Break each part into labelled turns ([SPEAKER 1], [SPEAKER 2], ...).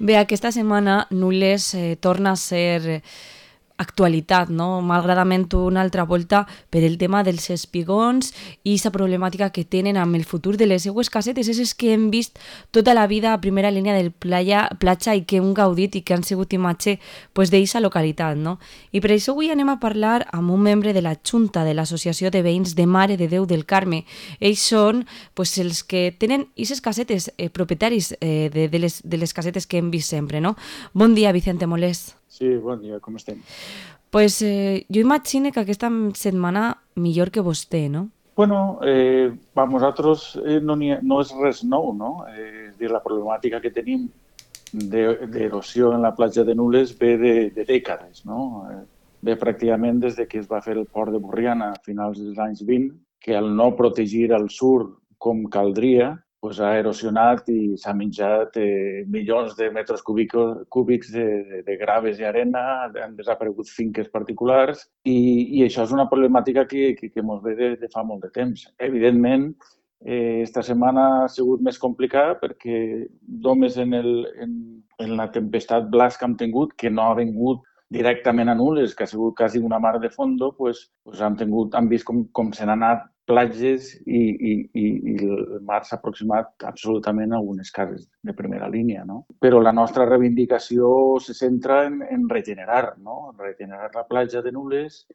[SPEAKER 1] Bé, aquesta setmana Nules torna a ser actualitat, no? Malgradament una altra volta per el tema dels espigons i la problemàtica que tenen amb el futur de les seues casetes, és que hem vist tota la vida a primera línia del platja i que hem gaudit i que han sigut imatge pues, d'eixa localitat, no? I per això avui anem a parlar amb un membre de la Junta de l'Associació de Veïns de Mare de Déu del Carme. Ells són pues, els que tenen aquestes casetes, propietaris de les casetes que hem vist sempre, no? Bon dia, Vicente Molés.
[SPEAKER 2] Sí, bon dia, com estem?
[SPEAKER 1] Pues jo imagino que aquesta setmana millor que vostè, no?
[SPEAKER 2] Bueno, per nosaltres no és res nou, no? És dir, la problemàtica que tenim d'erosió en la platja de Nules ve de dècades, no? Ve pràcticament des de que es va fer el port de Borriana a finals dels anys 20, que al no protegir el sur com caldria, pues ha erosionat i s'ha menjat milions de metres cúbics de graves i arena, han desaparegut finques particulars i això és una problemàtica que ens ve de fa molt de temps. Evidentment, esta setmana ha sigut més complicada perquè només en la tempestat Blas que hem tingut, que no ha vingut directament a Nules, que ha sigut quasi una mar de fondo, han vist com se n'han anat platges i el mar s'ha aproximat absolutament a algunes cases de primera línia, no? Però la nostra reivindicació se centra en regenerar, no? En regenerar la platja de Nules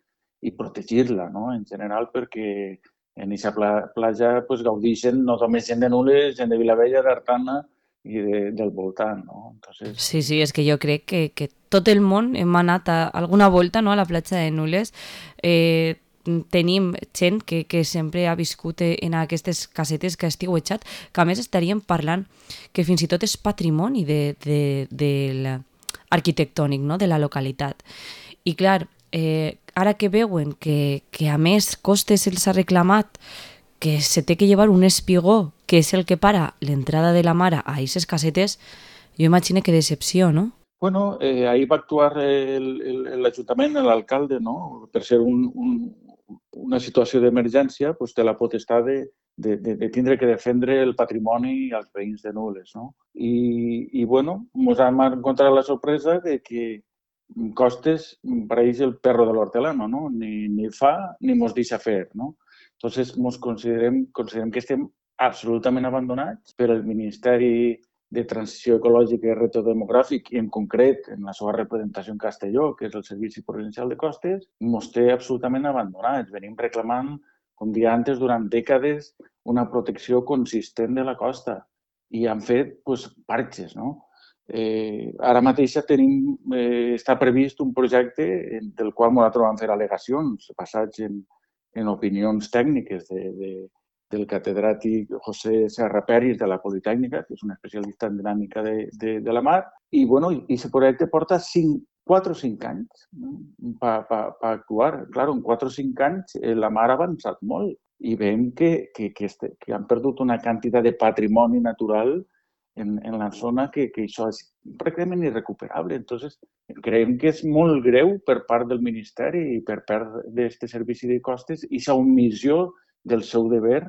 [SPEAKER 2] i protegir-la, no? En general, perquè en aquesta platja pues, gaudeixen no només gent de Nules, gent de Vilavella, d'Artana i del voltant, no? Entonces,
[SPEAKER 1] Sí, sí, és que jo crec que tot el món hem anat alguna volta, no?, a la platja de Nules. Tenim gent que sempre ha viscut en aquestes casetes que estiu estiuejat, que a més estaríem parlant que fins i tot és patrimoni arquitectònic, no?, de la localitat. I clar, ara que veuen que a més Costes els ha reclamat que se té que llevar un espigó, que és el que para l'entrada de la mare a aquestes casetes, jo imagino que decepció, no?
[SPEAKER 2] bueno, ahir va actuar l'Ajuntament, l'alcalde, no? Per ser una situació d'emergència, pues, té la potestat de tindre que defendre el patrimoni i els veïns de Nules, no? Bueno, ens hem encontrat la sorpresa de que Costes pareix el perro de l'hortelano, no? Ni fa ni mos deixa fer, no? Entonces, considerem que estem absolutament abandonats per el Ministeri de Transició Ecològica i Reto Demogràfic i en concret en la seva representació en Castelló, que és el Servici Provincial de Costes, ens té absolutament abandonats. Venim reclamant, com dia antes, durant dècades una protecció consistent de la costa i han fet pues, parxes, no? Ara mateix està previst un projecte del qual nosaltres vam fer al·legacions basats en opinions tècniques del catedràtic José Serra Peris de la Politècnica, que és un especialista en dinàmica de la mar, i bueno, aquest projecte porta 4 o 5 anys per actuar. Clar, en 4 o 5 anys la mar ha avançat molt i veiem que han perdut una quantitat de patrimoni natural en la zona que això és pràcticament irrecuperable. Entonces, creiem que és molt greu per part del Ministeri i per part d'aquest servici de costes i la omissió del seu deber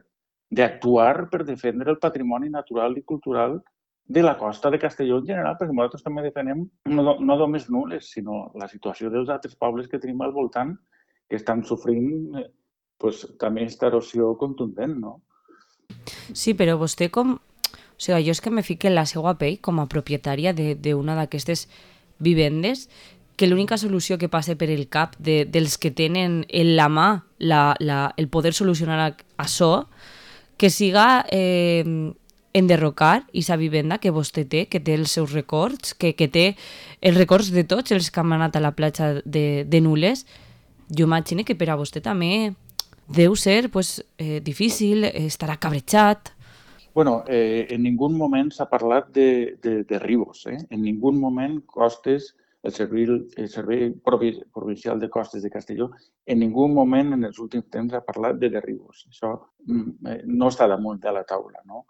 [SPEAKER 2] d'actuar per defendre el patrimoni natural i cultural de la costa de Castelló en general, perquè nosaltres també defenem no només Nules, sinó la situació dels altres pobles que tenim al voltant que estan sofrint pues, també aquesta erosió contundent, no?
[SPEAKER 1] Sí, però vostè com... O sigui, jo és que me fique en la seva pell com a propietària d'una d'aquestes vivendes, que l'única solució que passa per el cap dels que tenen en la mà el poder solucionar això, que siga enderrocar aquesta vivenda que vostè té, que té els seus records, que té els records de tots els que han anat a la platja de Nules. Jo imagino que per a vostè també deu ser pues, difícil, estarà cabrejat.
[SPEAKER 2] Bueno, en ningú moment s'ha parlat de Ribos. En ningú moment Costes, el Servei Provincial de Costes de Castelló, en ningú moment en els últims temps ha parlat de derribos. Això no està damunt de la taula, no?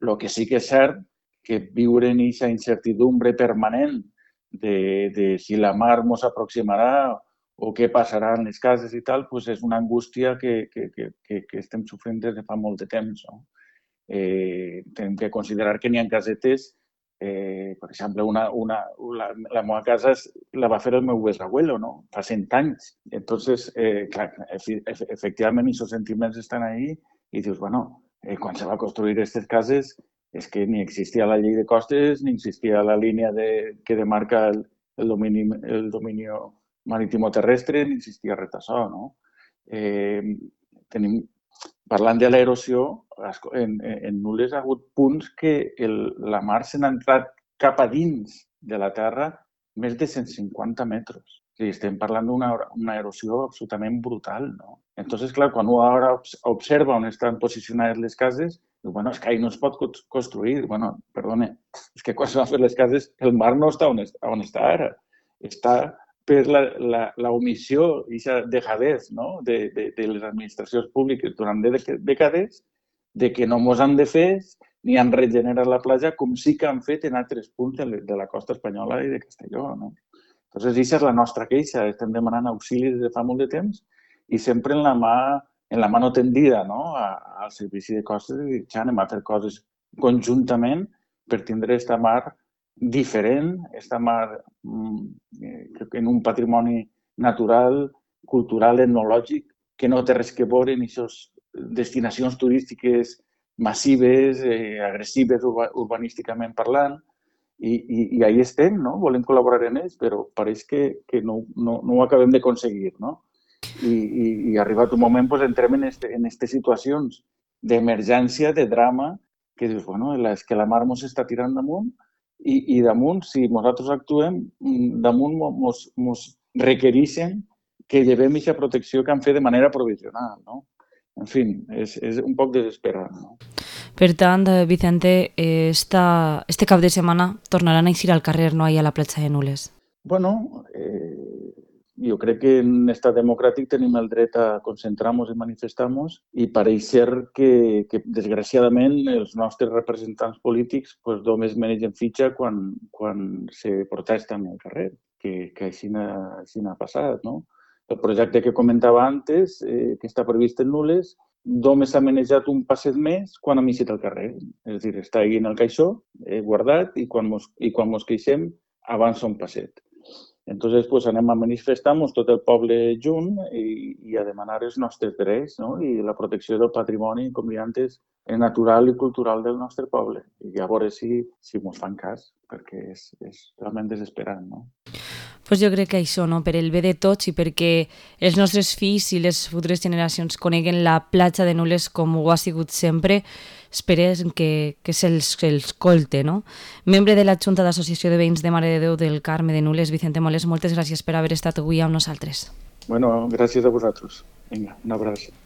[SPEAKER 2] El que sí que és cert que viure en aquesta incertidumbre permanent de si la mar ens aproximarà o què passarà en les cases i tal, pues és una angústia que estem sofrint des de fa molt de temps, no? Tenim que considerar que n'hi ha casetes Per exemple, la meva casa la va fer el meu besabuelo, no? Fa 100 anys. Entonces, clar, efectivament, aquests sentiments estan ahí i dius, bueno, quan se va construir aquestes cases és que ni existia la llei de costes ni existia la línia que demarca el domini marítimo-terrestre, ni existia res d'això, no? Parlant de l'erosió, en Nules ha hagut punts que la mar se n'ha entrat cap a dins de la terra més de 150 metres. O sigui, estem parlant d'una erosió absolutament brutal, no? Entonces, clar, quan un ara observa on estan posicionades les cases, diu, bueno, és que ahí no es pot construir. Bueno, perdone, és que quan se van fer les cases, el mar no està on està ara. Està per la omissió i la dejadez, no? de les administracions públiques durant dècades de que no mos han defès ni han regenerat la platja com sí que han fet en altres punts de la costa espanyola i de Castelló. No? Entonces, aquesta és la nostra queixa. Estem demanant auxili des de fa molt de temps i sempre en la mà tendida, no? al servici de costes i dir, ja anem a fer coses conjuntament per tindre aquesta mar diferent, esta mar en un patrimoni natural, cultural, etnològic, que no té res que veure en aquestes destinacions turístiques massives, agressives urbanísticament parlant, i ahí estem, no? Volem col·laborar en ells, però pareix que no ho acabem d'aconseguir, no? I arribat un moment doncs, entrem en aquestes situacions d'emergència, de drama, que dius, bueno, és que la mar ens està tirant damunt i damunt, si nosaltres actuem, damunt ens requereixen que llevem aquesta protecció que han fet de manera provisional, no? En fi, és un poc desesperant, no?
[SPEAKER 1] Per tant, Vicente, este cap de setmana tornaran a eixir al carrer, no ahir a la platja de Nules.
[SPEAKER 2] Bueno, jo crec que en estat democràtic tenim el dret a concentrar-nos i manifestar-nos i pareix ser que desgraciadament, els nostres representants polítics pues, només menegen fitxa quan se protesta en el carrer, que així n'ha passat, no? El projecte que comentava antes, que està previst en Nules, només s'ha manejat un passet més quan hem eixit al carrer. És a dir, està ahí en el caixó, guardat, i quan mos queixem avança un passet. Entonces, pues, anem a manifestar-nos tot el poble junt i a demanar els nostres drets, no? I la protecció del patrimoni, com deia antes, natural i cultural del nostre poble. I a veure si ens fan cas, perquè és realment desesperant, no?
[SPEAKER 1] Pues jo crec que això, no? Per el bé de tots i perquè els nostres fills i les futures generacions coneguen la platja de Nules com ho ha sigut sempre, esperem que se'ls escolte, no? Membre de la Junta d'Associació de Veïns de Mare de Déu del Carme de Nules, Vicente Moles, moltes gràcies per haver estat avui amb nosaltres.
[SPEAKER 2] Bueno, gràcies a vosaltres. Vinga, un abraç.